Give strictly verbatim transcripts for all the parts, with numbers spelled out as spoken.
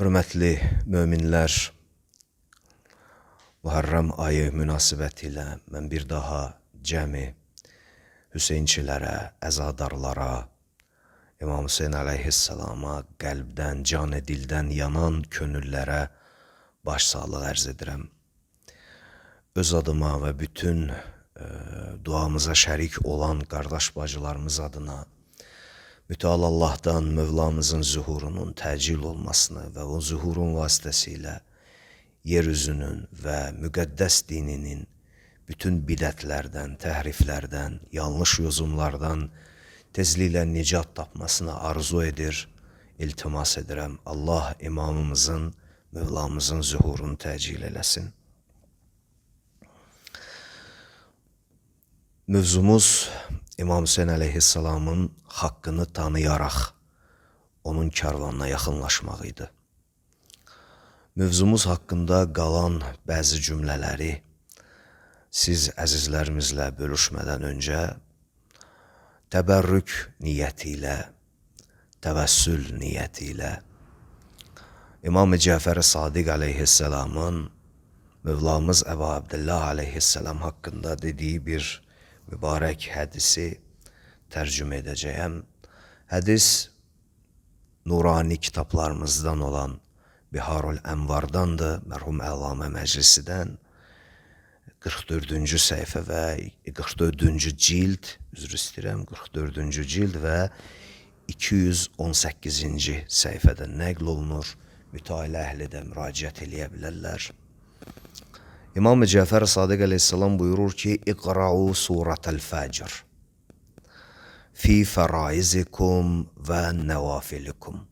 Hörmətli möminlər, Muharrem ayı münasibətilə mən bir daha cəmi Hüseynçilərə, əzadarlara, İmam Hüseyn əleyhissalama qəlbdən, can dildən yanan könüllərə başsağlıq ərz edirəm. Öz adıma və bütün e, duamıza şərik olan qardaş bacılarımız adına mütəal Allahdan Mövlamızın zuhurunun təcil olmasını və o zuhurun vasitəsilə yeryüzünün və müqəddəs dininin bütün bidətlərdən, təhriflərdən, yanlış yozumlardan tezliklə nicat tapmasını arzu edir, iltimas edirəm. Allah imamımızın, Mövlamızın zuhurunu təcil eləsin. Mövzumuz İmam Hüseyn əleyhissalamın haqqını tanıyaraq onun karvanına yaxınlaşmaq idi. Mövzumuz haqqında qalan bəzi cümlələri siz əzizlərimizlə bölüşmədən öncə təbərrük niyyəti ilə, təvəssül niyyəti ilə İmam Cəfər Sadiq əleyhissalamın Mövlamız Əbu Abdullah əleyhissalam haqqında dediyi bir mübarək hədisi tərcümə edəcəyəm. Hədis nurani kitablarımızdan olan Biharul Ənvardandır, mərhum Əlamə Məclisidən qırx dördüncü səhifə və qırx dördüncü cild, üzr istəyirəm, qırx dördüncü cild və iki yüz on səkkizinci səhifədə nəql olunur. Mütailə əhli də müraciət eləyə bilərlər. İmam Cəfər Sadiq əleyhissalam buyurur ki, İqra'u surətəl fəcr fi fəraizikum və nəvafilikum.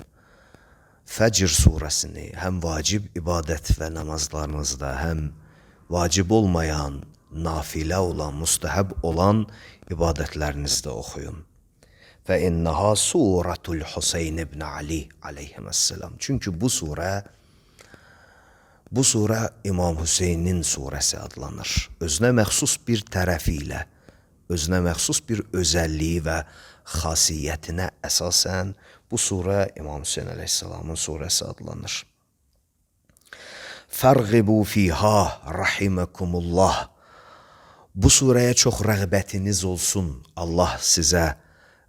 Fəcr surəsini həm vacib ibadət və namazlarınızda, həm vacib olmayan, nafilə olan, müstəhəb olan ibadətlərinizdə oxuyun. Və innəha surətul Hüseyn ibn Ali aleyhissalam. Çünki bu surə Bu surə İmam Hüseynin surəsi adlanır. Özünə məxsus bir tərəfi ilə, özünə məxsus bir özəlliyi və xasiyyətinə əsasən bu surə İmam Hüseyn əleyhissalamın surəsi adlanır. Fərğibu fiha rahiməkumullah. Bu surəyə çox rəğbətiniz olsun. Allah sizə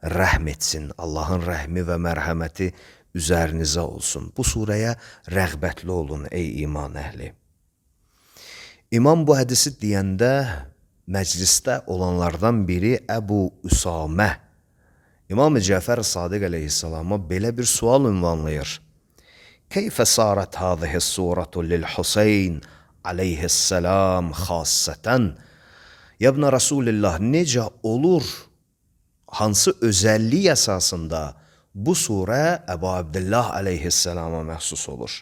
rəhm etsin. Allahın rəhmi və mərhəməti üzərinizə olsun. Bu surəyə rəğbətli olun ey iman əhli. İmam bu hədisi deyəndə məclisdə olanlardan biri Əbu Üsamə İmam Cəfər Sadiq əleyhissalama belə bir sual ünvanlayır. Keyfə sarət hâzihi suratu lil Hüseyn aleyhissalam xassətən. Yəbnə Rasulillah, necə olur, hansı özəllik əsasında bu surə Əbu Abdullah əleyhissalama məxsus olur?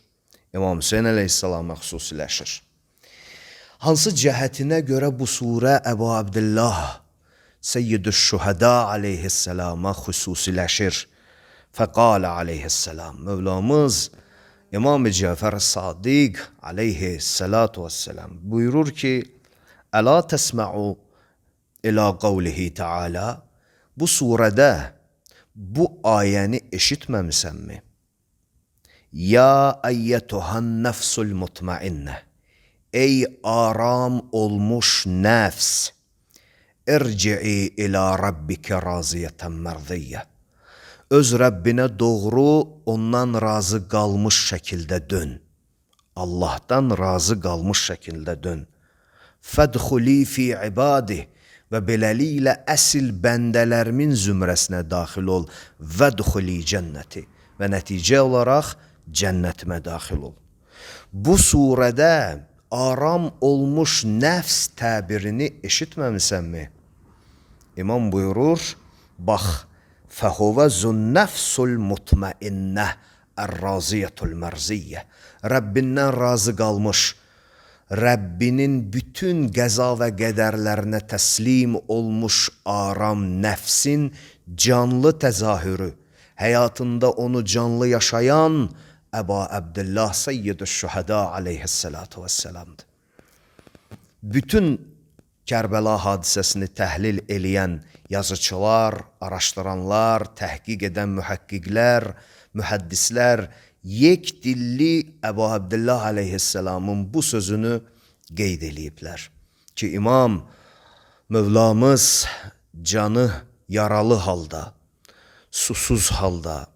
İmam Hüseyn əleyhissalama xüsusiləşir. Hansı cəhətinə görə bu surə Əbu Abdullah Seyyidüş-Şühəda əleyhissalama xüsusiləşir? Fəqalə əleyhissalam. Mövlamız İmam Cəfər Sadiq əleyhissalatu vesselam buyurur ki, Əla təsmə'u ilə qavlihi Teala. Bu surədə bu ayəni eşitməmisənmi? Ya əyyətuhan nəfsul mutmainnə. Ey aram olmuş nəfs. İrci'i ilə rabbikə raziyətən mərdiyyə. Öz Rəbbinə doğru, ondan razı qalmış şəkildə dön. Allahdan razı qalmış şəkildə dön. Fədxuli fi ibadi. Və beləliklə əsil bəndələrimin zümrəsinə daxil ol. Vədxuli cənnəti. Və nəticə olaraq cənnətimə daxil ol. Bu surədə aram olmuş nəfs təbirini eşitməmisənmi? İmam buyurur, bax, fəhuvə zünnəfsul mutmainnə ər-raziyyətul mərziyyə. Rəbbindən razı qalmış, Rəbbinin bütün qəza və qədərlərinə təslim olmuş aram nəfsin canlı təzahürü, həyatında onu canlı yaşayan Əbu Abdullah Seyyidüş-Şühəda aleyhissalatu vesselamdır. Bütün Kərbəla hadisəsini təhlil eləyən yazıçılar, araşdıranlar, təhqiq edən mühəqqiqlər, mühəddislər yek dilli Əbu Abdillah aleyhisselamın bu sözünü qeyd eləyiblər ki, İmam Mövlamız canı yaralı halda, susuz halda,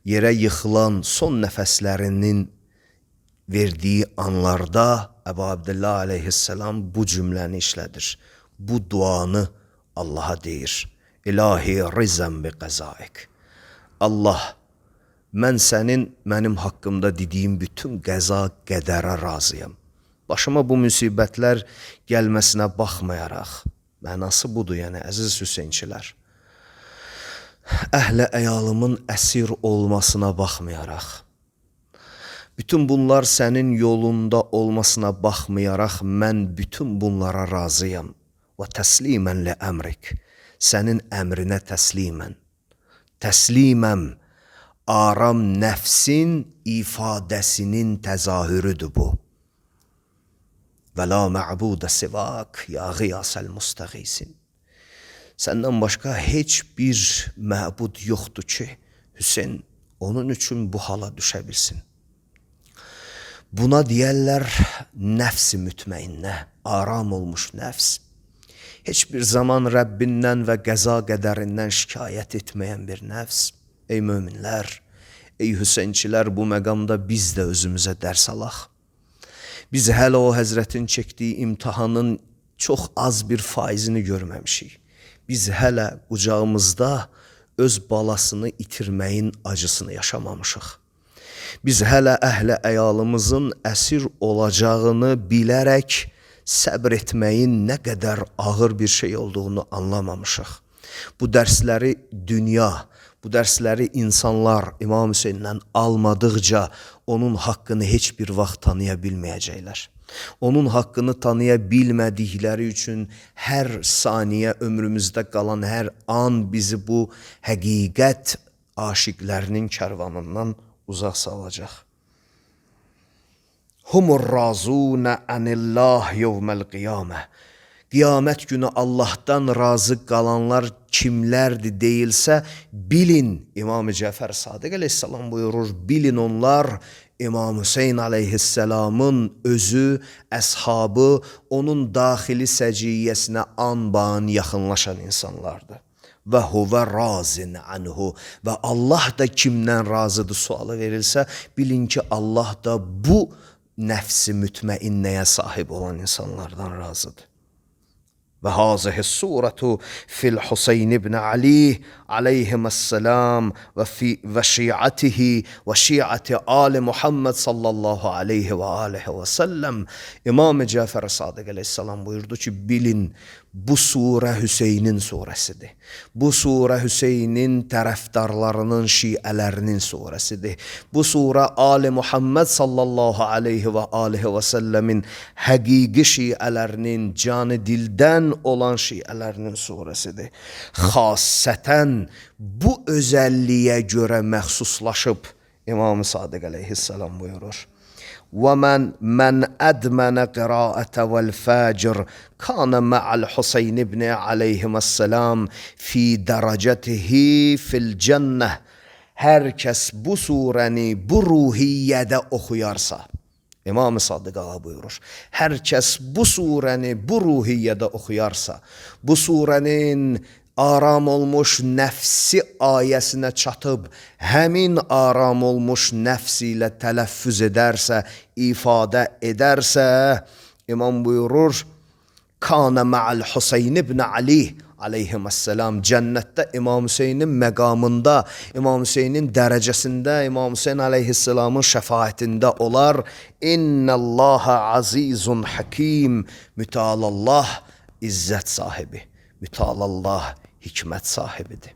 yerə yıxılan son nəfəslərinin verdiği anlarda Əbu Abdillah aleyhisselam bu cümləni işlədir. Bu duanı Allah'a deyir. İlahi rizən bi qəzaik. Allah, mən sənin mənim haqqımda dediyim bütün qəza qədərə razıyam. Başıma bu müsibətlər gəlməsinə baxmayaraq, mənası budur, yəni əziz Hüseynçilər. Əhlə əyalımın əsir olmasına baxmayaraq, bütün bunlar sənin yolunda olmasına baxmayaraq, mən bütün bunlara razıyam. Və təslimən li əmrik, sənin əmrinə təslimən. Təsliməm, aram nəfsin ifadəsinin təzahürüdür bu. Və la mə'budə sivak, ya qiyasəl müstəqisin. Səndən başqa heç bir məbud yoxdur ki, Hüseyn onun üçün bu hala düşə bilsin. Buna deyərlər nəfs-i mütməinnə, aram olmuş nəfs. Heç bir zaman Rəbbindən və qəza qədərindən şikayət etməyən bir nəfs. Ey möminlər, ey Hüseynçilər, bu məqamda biz də özümüzə dərs alaq. Biz hələ o Həzrətin çəkdiyi imtihanın çox az bir faizini görməmişik. Biz hələ qucağımızda öz balasını itirməyin acısını yaşamamışıq. Biz hələ əhlə əyalımızın əsir olacağını bilərək səbr etməyin nə qədər ağır bir şey olduğunu anlamamışıq. Bu dərsləri dünya, bu dərsləri insanlar İmam Hüseyndən almadıqca onun haqqını heç bir vaxt tanıya bilməyəcəklər. Onun haqqını tanıya bilmədikləri üçün hər saniyə ömrümüzdə qalan hər an bizi bu həqiqət aşiqlərinin kərvanından uzaq salacaq. Humur razunə anillah yevməl qiyamə. Qiyamət günü Allah'tan razı qalanlar kimlərdir deyilsə, bilin, İmam-ı Cəfər Sadiq aleyhisselam buyurur, bilin onlar İmam Hüseyn aleyhisselamın özü, əshabı, onun daxili səciyyəsinə anban yaxınlaşan insanlardır. Və huvə razin anhu, və Allah da kimdən razıdır sualı verilsə, bilin ki, Allah da bu nəfsi mütməinnəyə sahib olan insanlardan razıdır. Və hazihi suratu fil Huseyn ibn Ali aleyhisselam və fi və şiatihi və şiati ali Muhammed sallallahu aleyhi və aleyhi və səlləm. İmam-ı Cəfər Sadiq aleyhisselam buyurdu ki, bilin, bu surə Hüseynin surəsidir. Bu surə Hüseynin tərəfdarlarının, şiələrinin surəsidir. Bu surə Ali Muhammed sallallahu aleyhi və aleyhi və səlləmin həqiqi şiələrinin, canı dildən olan şiələrinin surəsidir. Xassətən bu özəlliyə görə məxsuslaşıb İmam-ı Sadiq aleyhisselam buyurur. وَمَنْ مَنْ أَدْمَنَ قِرَاءَةَ وَالْفَاجِرِ كَانَ مَعَ الْحُسَيْنِ بْنِ عَلَيْهِمَ السَّلَامِ فِي دَرَجَتِهِ فِي الْجَنَّةِ. Hər kəs bu surəni bu ruhiyyədə oxuyarsa, İmam-ı Sadiq ağa buyurur, hər kəs bu surəni bu ruhiyyədə oxuyarsa, bu surənin aram olmuş nəfsi ayəsinə çatıb, həmin aram olmuş nəfsi ilə tələffüz edərsə, ifadə edərsə, İmam buyurur, Kana ma'al Huseyn ibn Ali aleyhisselam, cənnətdə İmam Hüseynin məqamında, İmam Hüseynin dərəcəsində, İmam Hüseyn aleyhisselamın şəfaətində olar. İnnəllaha azizun hakim, mütəalallah izzət sahibi, mütəalallah hikmət sahibidir.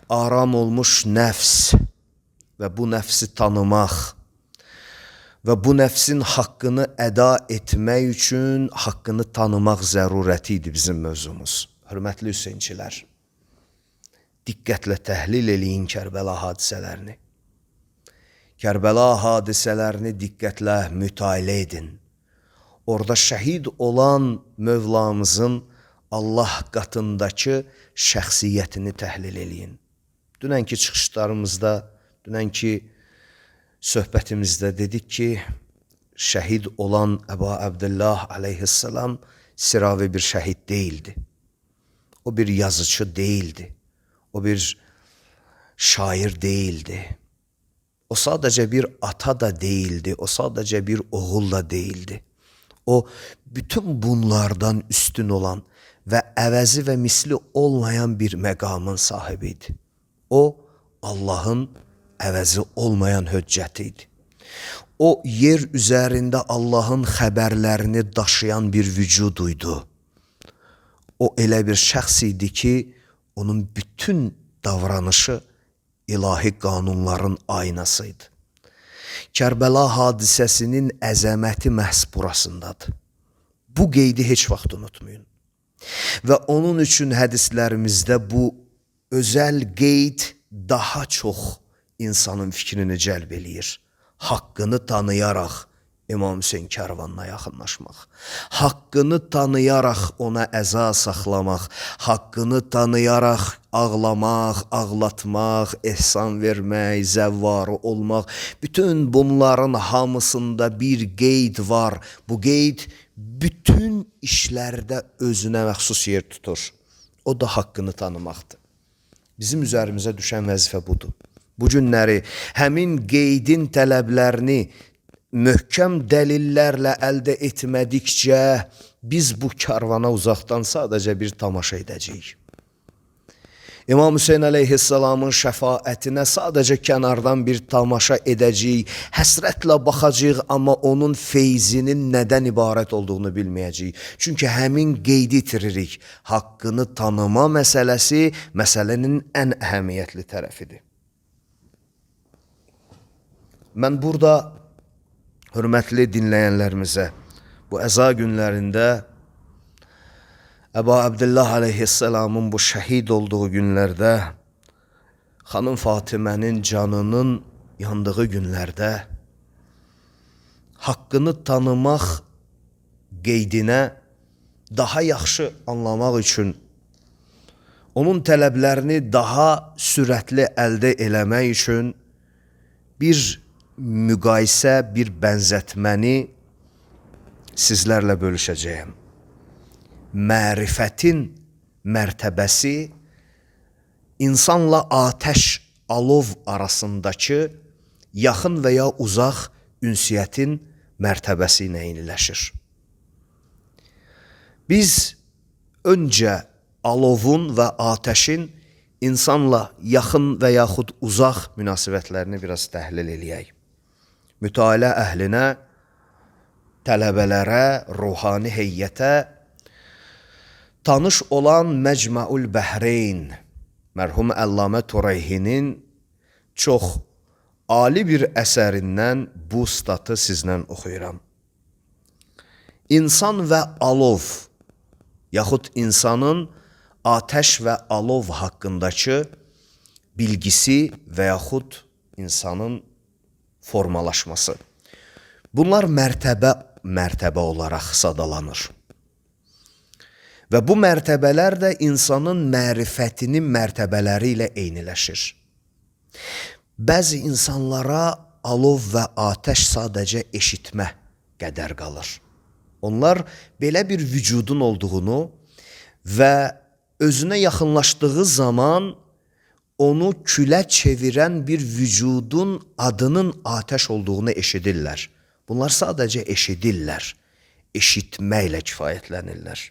Aram olmuş nəfs və bu nəfsi tanımaq və bu nəfsin haqqını əda etmək üçün haqqını tanımaq zərurəti idi bizim mövzumuz. Hörmətli Hüseynçilər, diqqətlə təhlil eləyin Kərbəla hadisələrini. Kərbəla hadisələrini diqqətlə mütailə edin. Orada şəhid olan Mövlamızın Allah qatındakı şəxsiyyətini təhlil eləyin. Dünənki çıxışlarımızda dünənki söhbətimizdə dedik ki, şəhid olan Əba Əbdillah aleyhisselam sıravi bir şəhid değildi. O bir yazıcı değildi. O bir şair değildi. O sadece bir ata da değildi. O sadece bir oğul da değildi. O bütün bunlardan üstün olan ve əvəzi ve misli olmayan bir məqamın sahibiydi. O Allah'ın əvəzi olmayan höccətiydi. O yer üzerinde Allah'ın xəbərlərini daşıyan bir vücuduydu. O elə bir şəxs idi ki, onun bütün davranışı ilahi qanunların aynasıydı. Kərbəla hadisəsinin əzəməti məhz burasındadır. Bu qeydi heç vaxt unutmayın. Və onun üçün hədislərimizdə bu özəl qeyd daha çox insanın fikrini cəlb eləyir. Haqqını tanıyaraq İmam Hüseyin kərvanına yaxınlaşmaq, haqqını tanıyaraq ona əza saxlamaq, haqqını tanıyaraq ağlamaq, ağlatmaq, ehsan vermək, zəvvarı olmaq, bütün bunların hamısında bir qeyd var. Bu qeyd bütün işlərdə özünə məxsus yer tutur. O da haqqını tanımaqdır. Bizim üzərimizə düşən vəzifə budur. Bu günləri həmin qeydin tələblərini möhkəm dəlillərlə əldə etmədikcə biz bu karvana uzaqdan sadəcə bir tamaşa edəcəyik. İmam Hüseyin aleyhisselamın şəfaətinə sadəcə kənardan bir tamaşa edəcəyik, həsrətlə baxacağıq, amma onun feyzinin nədən ibarət olduğunu bilməyəcəyik. Çünki həmin qeydi itiririk. Haqqını tanıma məsələsi məsələnin ən əhəmiyyətli tərəfidir. Mən burada hörmətli dinləyənlərimizə bu əza günlərində Əba Əbdillah aleyhisselamın bu şəhid olduğu günlərdə, xanım Fatimənin canının yandığı günlərdə haqqını tanımaq qeydinə daha yaxşı anlamaq üçün, onun tələblərini daha sürətli əldə eləmək üçün bir müqayisə, bir bənzətməni sizlərlə bölüşəcəyəm. Mərifətin mərtəbəsi insanla atəş, alov arasındakı yaxın və ya uzaq ünsiyyətin mərtəbəsi ilə eyniləşir. Biz öncə alovun və atəşin insanla yaxın və yaxud uzaq münasibətlərini biraz təhlil eləyək. Mütaliə əhlinə, tələbələrə, ruhani heyyətə tanış olan Məcməul Bəhreyn, mərhum Əllamə Tureyhinin çox ali bir əsərindən bu statı sizlə oxuyuram. İnsan və alov, yaxud insanın atəş və alov haqqındakı bilgisi və yaxud insanın formalaşması. Bunlar mərtəbə mərtəbə olaraq sadalanır. Və bu mərtəbələr də insanın mərifətinin mərtəbələri ilə eyniləşir. Bəzi insanlara alov və atəş sadəcə eşitmə qədər qalır. Onlar belə bir vücudun olduğunu və özünə yaxınlaşdığı zaman onu külə çevirən bir vücudun adının atəş olduğunu eşidirlər. Bunlar sadəcə eşidirlər, eşitməklə kifayətlənirlər.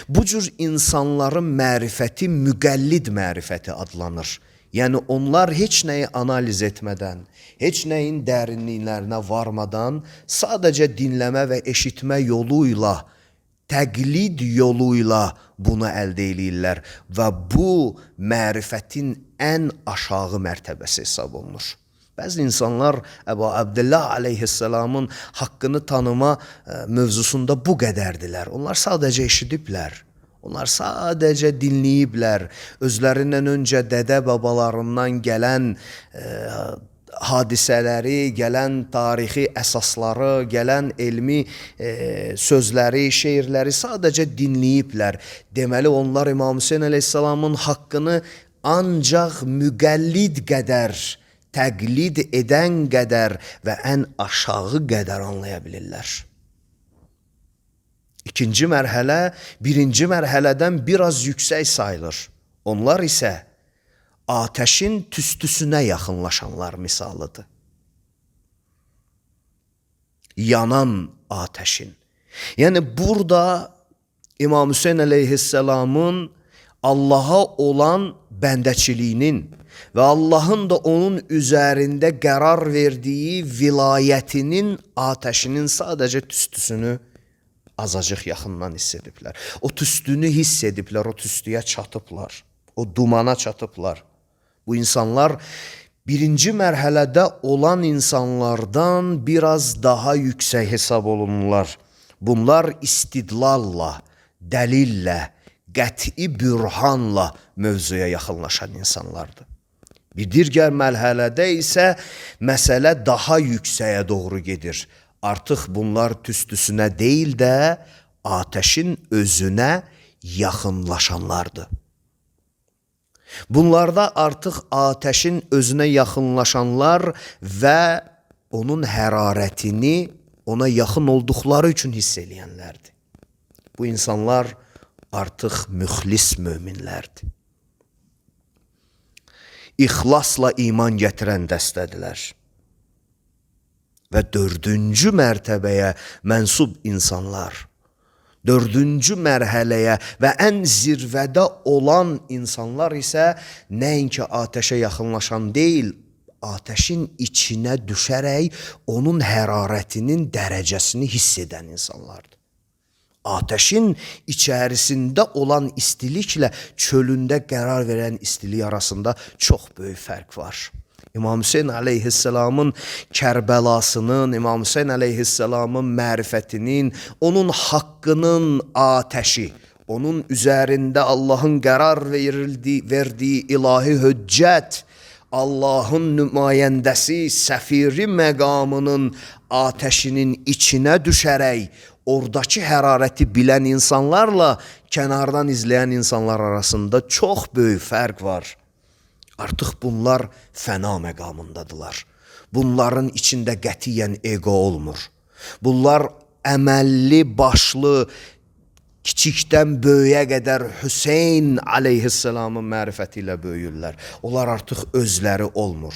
Bu cür insanların mərifəti müqəllid mərifəti adlanır. Yəni onlar heç nəyi analiz etmədən, heç nəyin dərinliklərinə varmadan sadəcə dinləmə və eşitmə yoluyla, təqlid yoluyla bunu əldə eləyirlər və bu mərifətin ən aşağı mərtəbəsi hesab olunur. Bəzi insanlar Əba Əbdillah aleyhisselamın haqqını tanıma mövzusunda bu qədərdilər. Onlar sadəcə eşidiblər. Onlar sadəcə dinləyiblər. Özlərindən öncə dədə babalarından gələn e, hadisələri, gələn tarixi əsasları, gələn elmi e, sözləri, şeirləri sadəcə dinləyiblər. Deməli onlar İmam Hüseyin aleyhisselamın haqqını ancaq müqəllid qədər, təqlid edən qədər və ən aşağı qədər anlaya bilirlər. İkinci mərhələ birinci mərhələdən biraz yüksək sayılır. Onlar isə ateşin tüstüsünə yaxınlaşanlar misalıdır. Yanan ateşin. Yəni burada İmam Hüseyin əleyhisselamın Allaha olan bəndəçiliyinin və Allahın da onun üzərində qərar verdiyi vilayətinin ateşinin sadəcə tüstüsünü azacıq yaxından hiss ediblər. O tüstünü hiss ediblər, o tüstüyə çatıblar, o dumana çatıblar. Bu insanlar birinci mərhələdə olan insanlardan biraz daha yüksək hesab olunurlar. Bunlar istidlalla, dəlillə, qəti bürhanla mövzuya yaxınlaşan insanlardır. Bir digər mərhələdə isə məsələ daha yüksəyə doğru gedir. Artıq bunlar tüstüsünə deyil də ateşin özünə yaxınlaşanlardır. Bunlarda artıq ateşin özünə yaxınlaşanlar və onun hərarətini ona yaxın olduqları üçün hiss eləyənlərdir. Bu insanlar artıq müxlis möminlərdir. İxlasla iman gətirən dəstədilər. Və dördüncü mərtəbəyə mənsub insanlar, dördüncü mərhələyə və ən zirvədə olan insanlar isə nəinki ateşə yaxınlaşan deyil, ateşin içinə düşərək onun hərarətinin dərəcəsini hiss edən insanlardır. Ateşin içərisində olan istiliklə çölündə qərar verən istilik arasında çox böyük fərq var. İmam Hüseyin əleyhisselamın Kərbəlasının, İmam Hüseyin əleyhisselamın mərifətinin, onun haqqının ateşi, onun üzərində Allahın qərar verildiyi, verdiyi ilahi höccət, Allahın nümayəndəsi, səfiri məqamının ateşinin içinə düşərək, oradakı hərarəti bilən insanlarla kənardan izləyən insanlar arasında çox böyük fərq var. Artıq bunlar fəna məqamındadılar. Bunların içində qətiyyən ego olmur. Bunlar əməlli, başlı, kiçikdən böyüyə qədər Hüseyin əleyhisselamın mərifəti ilə böyüyürlər. Onlar artıq özləri olmur.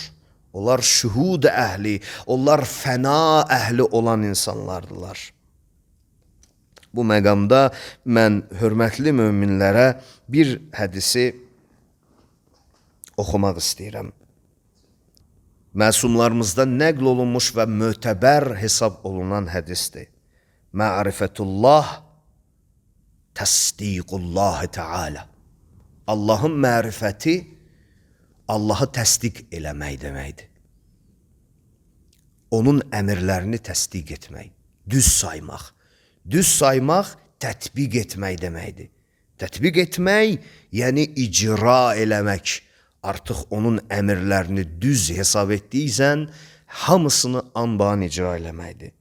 Onlar şühud əhli, onlar fəna əhli olan insanlardılar. Bu məqamda mən hörmətli möminlərə bir hədisi oxumaq istəyirəm. Məsumlarımızda nəql olunmuş və mötəbər hesab olunan hədisdir. Ma'rifətullah təsdiqullahi Teala. Allahın mərifəti Allahı təsdiq eləmək deməkdir. Onun əmrlərini təsdiq etmək, düz saymaq. Düz saymaq tətbiq etmək deməkdir. Tətbiq etmək, yəni icra eləmək. Artıq onun əmrlərini düz hesab etdiysən, hamısını anban icra eləməkdir.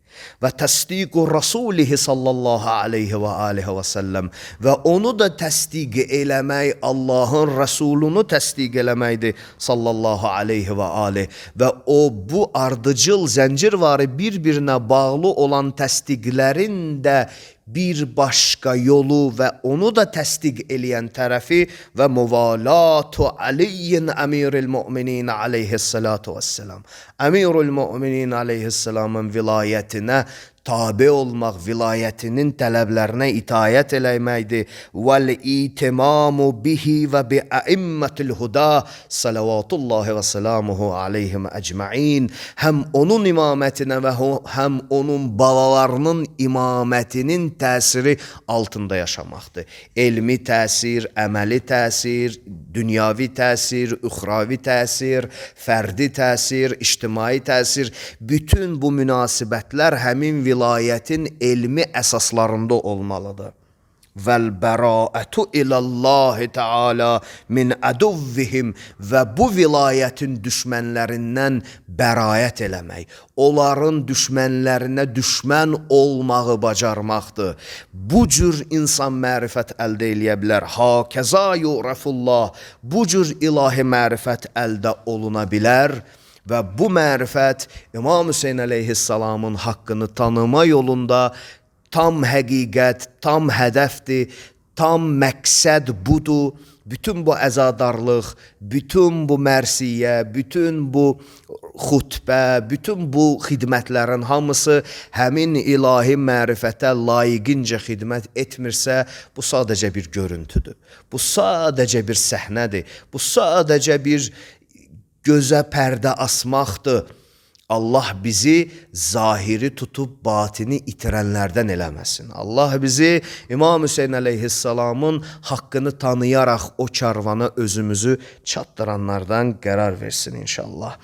Və təsdiqu Rasulihi sallallahu aleyhi və aleyhi və səlləm və onu da təsdiq eləmək, Allahın Rəsulunu təsdiq eləməkdir sallallahu aleyhi və aleyhi və o bu ardıcıl zəncirvarı bir-birinə bağlı olan təsdiqlərin də bir başqa yolu və onu da təsdiq eləyən tərəfi və muvalatu Aliyyin əmiril müminin aleyhissalatu vesselam. Əmirul müminin aleyhissalamın vilayətinə tabi olmaq, vilayətinin tələblərinə itayət eləməkdir. Vəl-itimamu bihi və bi'əimmətil huda salavatullahi və salamuhu aleyhim əcma'in. Həm onun imamətinə və həm onun balalarının imamətinin təsiri altında yaşamaqdır. Elmi təsir, əməli təsir, dünyavi təsir, üxravi təsir, fərdi təsir, ictimai təsir. Bütün bu münasibətlər həmin vilayətin elmi əsaslarında olmalıdır. vel beraatu ilallahi Teala min aduvvihim və bu vilayətin düşmənlərindən bərayət eləmək, onların düşmənlərinə düşmən olmağı bacarmaqdır. Bu cür insan mərifət əldə eləyə bilər. Hakəza yu'rafullah, bu cür ilahi mərifət əldə oluna bilər. Və bu mərifət İmam Hüseyin əleyhissalamın haqqını tanıma yolunda tam həqiqət, tam hədəfdir, tam məqsəd budur. Bütün bu əzadarlıq, bütün bu mərsiyə, bütün bu xutbə, bütün bu xidmətlərin hamısı həmin ilahi mərifətə layiqincə xidmət etmirsə, bu sadəcə bir görüntüdür. Bu sadəcə bir səhnədir. Bu sadəcə bir gözə pərdə asmaqdır. Allah bizi zahiri tutub batini itirənlərdən eləməsin. Allah bizi İmam Hüseyin əleyhissalamın haqqını tanıyaraq o karvana özümüzü çatdıranlardan qərar versin inşallah.